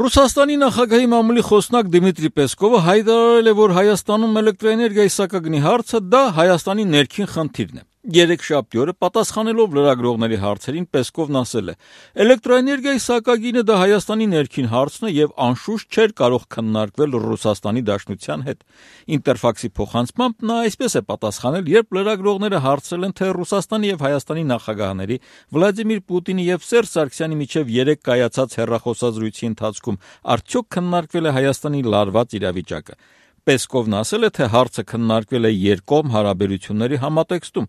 Ռուսաստանի նախագահի մամուլի խոսնակ Դիմիտրի Պեսկովը հայտարարել է, որ Հայաստանում էլեկտրոէներգիայի սակագնի հարցը դա Հայաստանի ներքին խնդիրն է։ Երեքշաբթի օրը պատասխանելով լրագրողների հարցերին Պեսկովն ասել է. «Էլեկտրոէներգիայի սակագինը դա Հայաստանի ներքին հարցն է եւ անշուշտ չէր կարող քննարկվել Ռուսաստանի Դաշնության հետ»։ Ինտերֆաքսի փոխանցմամբ նա այսպես է պատասխանել, երբ լրագրողները հարցրել են, թե Ռուսաստանի եւ Հայաստանի նախագահների Վլադիմիր Պուտինի եւ Սերժ Սարգսյանի միջեւ երեկ կայացած հեռախոսազրույցի ընթացքում արդյոք քննարկվել է Հայաստանի լարված իրավիճակը։ Պեսկովն ասել է, թե հարցը քննարկվել է երկկողմ հարաբերությունների համատեքստում։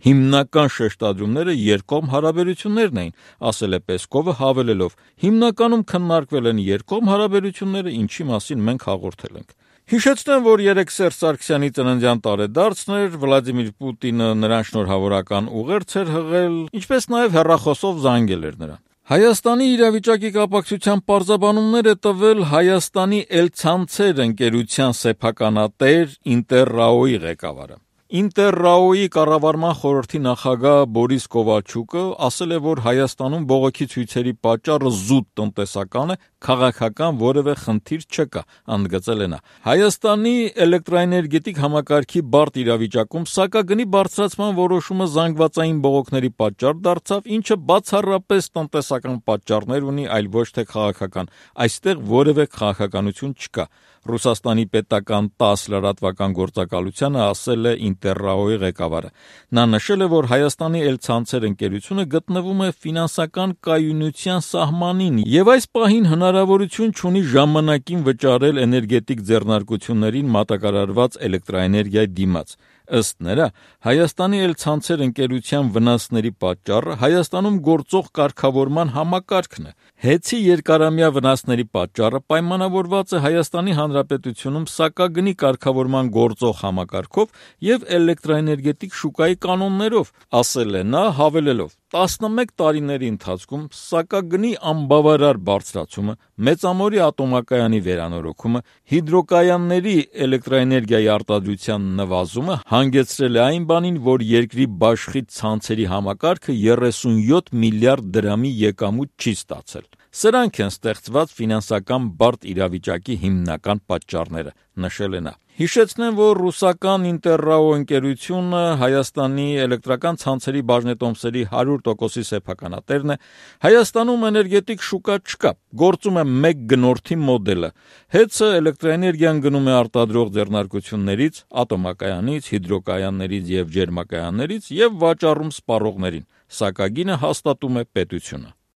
Հիմնական շեշտադրումները երկկողմ հարաբերություններն էին, ասել է Պեսկովը, հավելելով. հիմնականում քննարկվել են երկկողմ հարաբերությունները, ինչի մասին մենք հաղորդել ենք։ Հիշեցնեմ, որ երեկ Սերժ Սարգսյանի ծննդյան տարեդարձն էր, Վլադիմիր Պուտինը նրան շնորհավորական ուղերձ էր հղել, ինչպես նաև հեռախոսով զանգել էր նրան։ Հայաստանի իրավիճակի կապակցությամբ պարզաբանումներ է տվել Հայաստանի Էլցանցեր ընկերության սեփականատեր Ինտերրաոյի ղեկավարը։ Ինտերրաոյի կառավարման խորհրդի նախագահ Բորիս Կովալչուկը ասել է, որ Հայաստանում բողոքի ցույցերի պատճառը զուտ տնտեսական է, քաղաքական որևէ խնդիր չկա, ընդգծել է նա։ Հայաստանի էլեկտրոէներգետիկ համակարգի բարդ իրավիճակում սակագնի բարձրացման որոշումը զանգվածային բողոքների պատճառ դարձավ, ինչը բացառապես տնտեսական պատճառներ ունի, այլ ոչ թե քաղաքական։ Այստեղ որևէ քաղաքականություն չկա։ Ռուսաստանի պետական 10 լրատվական գործակալությանը ասել է Ինտերրաոյի ղեկավարը։ Նա նշել է, որ Հայաստանի Էլցանցեր ընկերությունը գտնվում է ֆինանսական կայունության սահմանին եւ այս պահին հնարավորություն չունի ժամանակին վճարել էներգետիկ ձեռնարկություններին մատակարարված էլեկտրոէներգիայի դիմաց։ Ըստ նրա, Հայաստանի Էլցանցեր ընկերության վնասների պատճառը Հայաստանում գործող կարգավորման համակարգն է։ Հեծի երկարամյա վնասների պատճառը պայմանավորված է Հայաստանի Հանրապետությունում սակագնի կարգավորման գործող համակարգով եւ էլեկտրոէներգետիկ շուկայի կանոններով, ասել է նա, հավելելով. 11 տարիների ընթացքում սակագնի անբավարար բարձրացումը, Մեծամորի ատոմակայանի վերանորոգումը, հիդրոկայանների էլեկտրոէներգիայի արտադրության նվազումը հանգեցրել է այն բանին, որ երկրի բաշխի ցանցերի համակարգը 37 միլիարդ դրամի եկամուտ չի ստացել։ Սրանք են ստեղծված ֆինանսական բարդ իրավիճակի հիմնական պատճառները, նշել է նա։ Հիշեցնեմ, որ ռուսական Ինտերրաո ընկերությունը Հայաստանի էլեկտրական ցանցերի բաժնետոմսերի 100%-ի սեփականատերն է։ Հայաստանում էներգետիկ շուկա չկա, գործում է մեկ գնորդի մոդելը։ Հեծը էլեկտրոէներգիան գնում է արտադրող ձեռնարկություններից, ատոմակայանից, հիդրոկայաններից եւ ջերմակայաններից եւ վաճառում սպառողներին։ Սակագինը հաստատում է պետությունը։